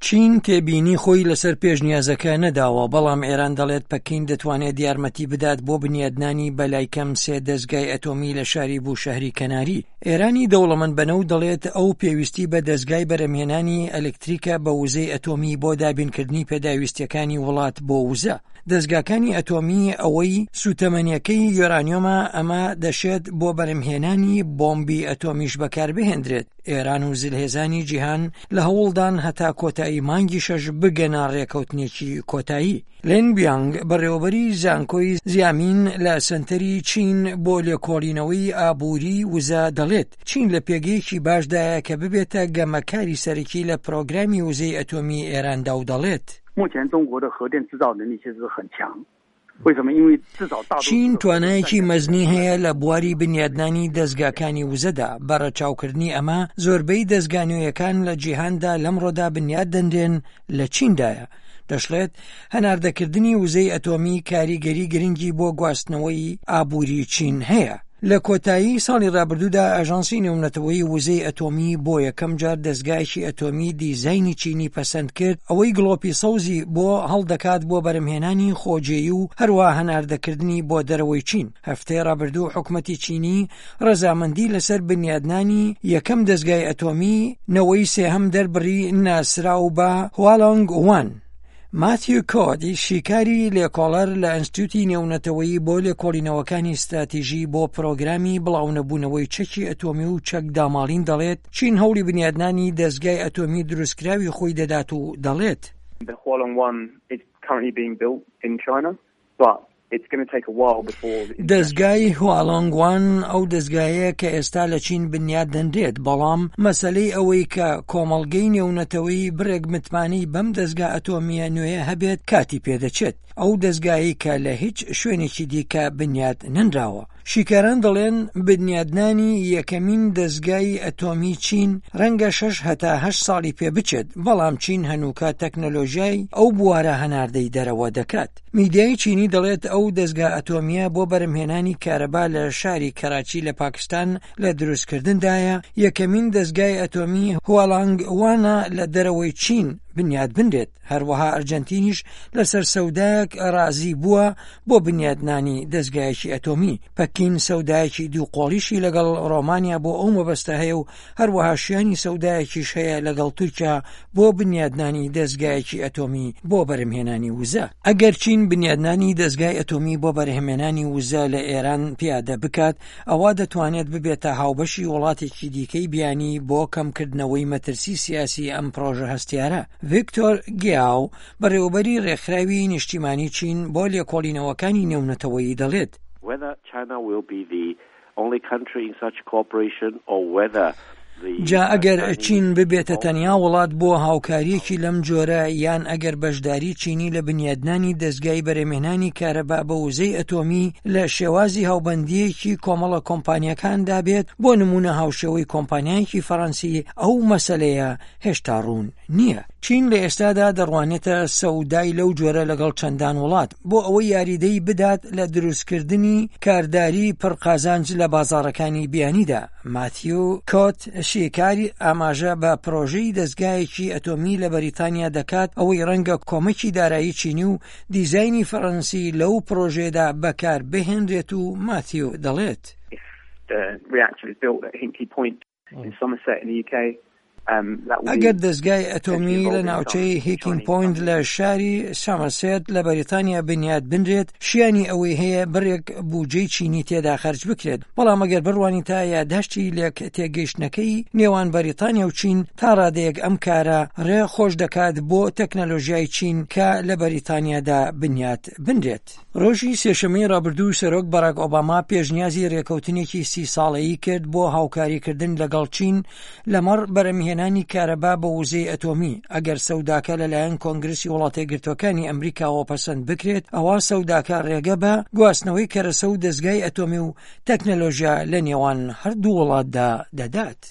چین تێبینی خۆی لەسەر پێشنیازەکە نەداوە، بەڵام ئێران دەڵێت پەکین دەتوانێت یارمەتی بدات بۆ بنیادنانی بەلای کەم سێ دەزگای ئەتۆمی لە شاری بوشەهری کەناری. ئێرانی دەوڵەمەند بە نەوت دەڵێت ئەو پێویستی بە دەزگای بەرهەمهێنانی ئەلکتریکە بە وزەی ئەتۆمی بۆ دابینکردنی پێداویستیەکانی وڵات بۆ وزە. دەزگاکانی ئەتۆمی ئەوەی سوتەمەنیەکەی یۆرانیۆمە ئەمە دەشێت بۆ بەرهەمهێنانی بۆمبی ئەتۆمیش بەکاربهێندرێت. ئێران و زلهێزانی جیهان لە هەوڵدان هەتا کۆتایی مانگی شەش بگەنە ڕێکەوتنێکی کۆتایی. لین بیانگ، بەڕێوەبەری زانکۆی زیامین لە سەنتەری چین بۆ لێکۆڵینەوەی ئابووری وزە دەڵێت، چین لە پێگەیەکی باشدایە کە ببێتە گەمەکاری سەرەکی لە پرۆگرامی وزەی ئەتۆمی ئێراندا و دەڵێت. چین توانایەکی مەزنی هەیە لە بواری بنیادنانی دەزگاکانی وزەدا، بە ڕەچاوکردنی ئەمە زۆربەی دەزگا نوێیەکان لە جیهاندا لەمڕۆدا بنیاد دەنرێن لە چیندایە. دەشڵێت، هەناردەکردنی وزەی ئەتۆمی کاریگەری گرنگی بۆ گواستنەوەی ئابووری چین هەیە. لە کۆتایی ساڵی رابردوودا ئاژانسی نێونەتەوەیی وزەی ئەتۆمی بۆ یەکەم جار دەزگایەکی ئەتۆمی دیزاینی چینی پەسەند کرد، ئەوەی گڵۆپی سەوزی بۆ هەڵدەکات بۆ بەرهەمهێنانی خۆجێی و هەروەها هەناردەکردنی بۆ دەرەوەی چین. هەفتەی رابردوو حکومەتی چینی رەزامەندی لەسەر بنیادنانی یەکەم دەزگای ئەتۆمی نەوەی سێهەم دەربڕی ناسراو بە هوالۆنگ وان. ماتیو کۆد، شیکاری لێکۆڵەر لە ئەنستیتوتی نێونەتەوەیی بۆ لێکۆڵینەوەکانی ستراتیژی بۆ پرۆگرامی بڵاونەبوونەوەی چەکی ئەتۆمی و چەک داماڵین دەڵێت، چین هەوڵی بنیادنانی دەزگای ئەتۆمی دروستکراوی خۆی دەدات و دەڵێت. دەزگای هوالۆنگ وان ئەو دەزگایەیە کە ئێستا لە چین بنیات دەنرێت، بەڵام مەسەلەی ئەوەی کە کۆمەڵگەی نێونەتەوەیی بڕێک متمانەی بەم دەزگا ئەتۆمییە نوێیە هەبێت کاتی پێدەچێت، ئەو دەزگایەی کە لە هیچ شوێنێکی دیکە بنیات نەنراوە. شیکاران دەڵێن بنیادنانی یەکەمین دەزگای ئەتۆمی چین ڕەنگە شەش هەتا هەشت ساڵی پێ بچێت، بەڵام چین هەنووکە تەکنەلۆژیای ئەو بوارە هەناردەی دەرەوە دەکات. میدیای چینی دەڵێت ئەو دەزگا ئەتۆمییە بۆ بەرهەمهێنانی کارەبا لە شاری کەراچی لە پاکستان لە دروستکردندایە، یەکەمین دەزگای ئەتۆمی هوالانگ وانە لە دەرەوەی چین بنیات بنرێت، هەروەها ئەرجەنتینیش لەسەر سەودایەک ڕازی بووە بۆ بنیاتنانی دەزگایەکی ئەتۆمی. پەکین سەودایەکی دووقۆڵیشی لەگەڵ ڕۆمانیا بۆ ئەو مەبەستە هەیە و هەروەها شیانی سەودایەکیش هەیە لەگەڵ تورکیا بۆ بنیادنانی دەزگایەکی ئەتۆمی بۆ بەرهەمهێنانی وزە. ئەگەر چین بنیادنانی دەزگای ئەتۆمی بۆ بەرهەمهێنانی وزە لە ئێران پیادە بکات، ئەوا دەتوانێت ببێتە هاوبەشی وڵاتێکی دیکەی بیانی بۆ کەمکردنەوەی مەترسی سیاسی ئەم پڕۆژە هەستیارە. ڤیکتۆر گیاو، بەڕێوەبەری ڕێکخراوی نیشتیمانی چین بۆ لێکۆڵینەوەکانی نێونەتەوەیی دەڵێت، جا ئەگەر چین ببێتە تەنیا وڵات بۆ هاوکارییەکی لەم جۆرە یان ئەگەر بەشداری چینی لە بنیادنانی دەزگای بەرهەمهێنانی کارەبا بە وزەی ئەتۆمی لە شێوازی هاوبەندییەکی کۆمەڵە کۆمپانیاکاندا بێت بۆ نموونە هاوشێوەی کۆمپانیایەکی فەڕەنسی ئەو مەسەلەیە هێشتا ڕوون نییە. چین لە ئێستادا دەڕوانێتە سەودای لەو جۆرە لەگەڵ چەندان وڵات بۆ ئەوەی یاریدەی بدات لە دروستکردنی کارداری پڕ قازانج لە بازاڕەکانی بیانیدا. ماتیو کۆت شیکاری ئاماژە بە پرۆژەی دەزگایەکی ئەتۆمی لە بەریتانیا دەکات ئەوەی ڕەنگە کۆمەکی دارایی چینی و دیزاینی فەڕەنسی لەو پرۆژەیەدا بەکار بهێنرێت و ماتیو دەڵێت. ئەگەر دەزگای ئەتۆمی لە ناوچەی هیکینگ پۆینت لە شاری سامەرسێت لە بەریتانیا بنیات بنرێت، شیانی ئەوەی هەیە بڕێک بوجەی چینی تێدا خەرج بکرێت، بەڵام ئەگەر بڕوانیتە یاداشتی لێک تێگەیشتنەکەی نێوان بەریتانیا و چین، تا ڕادەیەک ئەم کارە ڕێ خۆش دەکات بۆ تەکنەلۆژیای چین کە لە بەریتانیادا بنیات بنرێت. ڕۆژی سێشەممەی ڕابردوو سەرۆک باراک ئۆباما پێشنیازی رێکەوتنێکی سی ساڵەیی کرد بۆ هاوکاریکردن لەگەڵ چین لەمەڕ بەرەمهێنانی کارەبا بە وزەی ئەتۆمی، ئەگەر سەوداکە لەلایەن کۆنگرسی وڵاتەیەکگرتووەکانی ئەمریکاوە پەسەند بکرێت ئەوا سەوداکە ڕێگە بە گواستنەوەی کەرەسە و دەزگای ئەتۆمی و تەکنەلۆژیا لە نێوان هەردوو وڵاتدا دەدات.